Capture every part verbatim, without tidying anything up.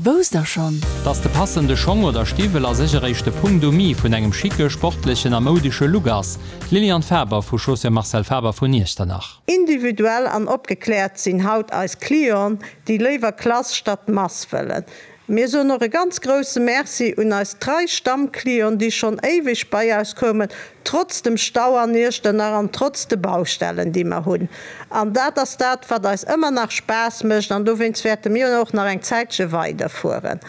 Wousst der schonn? Dass de passende Schong oder Stiwwel a sech eréischt de Punkt um i vun engem schicke, sportlechen a moudesche Look ass. D'Liliane Faber vu Chaussures Marcel Faber vun Iechternach. Individuell an opgekläert sinn haut eis Clienten, déi léiwer Klass statt Mass wëllen. Mir soen och e ganz grousse Merci un eis trei Stammclienten, déi schonn éiweg bei eis kommen, trotz dem Stau an Iechternach an trotz de Baustellen, déi mer hunn. An dat ass dat, wat eis ëmmer nach Spaass mécht an dowéinst wäerte mir och nach eng Zäitche weiderfueren.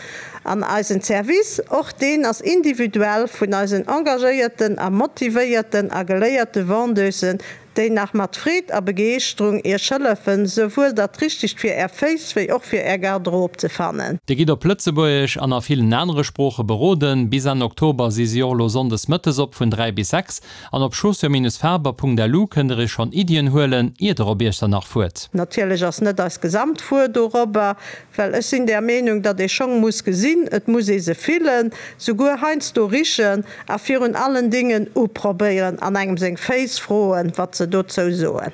An eisen Service, och deen ass individuell vun eisen engagéierten a motivéierten a geléierte Vendeusen, déi nach mat Freed a Begeeschterung Iech hëllefen, souwuel dat Richtegt fir Är Féiss wéi och fir Är Garderobe ze fannen. Dir gitt op Lëtzebuergesch an a villen anere Sprooche beroden. Bis Enn Oktober si si och elo sonndes mëttes op vun dräi bis sechs. An op chaussures-faber.lu kënnt der iech schonn Iddien huelen, ier der op Iechternach fuert. Natierlech ass net eis gesamt Wuer dorobber, well ech sinn der Meenung, datt ee Schong muss gesinn, et muss ee se fillen, souguer heiansdo richen a virun allen Dingen uprobéieren an engem seng Féiss froen, wat se dozou soen.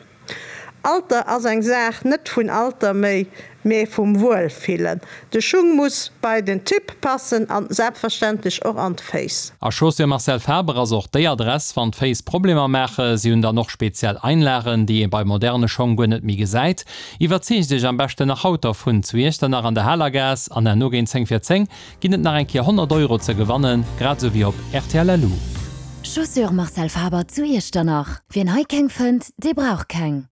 Alter ass eng Saach net vun Alter méi, mee vum Wuelfillen. De Schung muss bei den Typ passen an selbstverständlech och an d'Féiss. A Chaussures Marcel Faber ass och déi Adress, wann d'Féiss Problemer maachen. Si hunn dann och speziell Einlagen, déi ee bei moderne Schong guer net méi gesäit. Iwwerzeegt iech am beschten nach haut dervun zu Iechternach an der Halergaass an herno géint zéng vir zéng ginn et nach eng Kéier honnert Euro ze gewannen, grad esou wéi op rtl. Lu. Chaussures Marcel Faber zu Iechternach, Wien hei keng fënnt, dee brauch keng.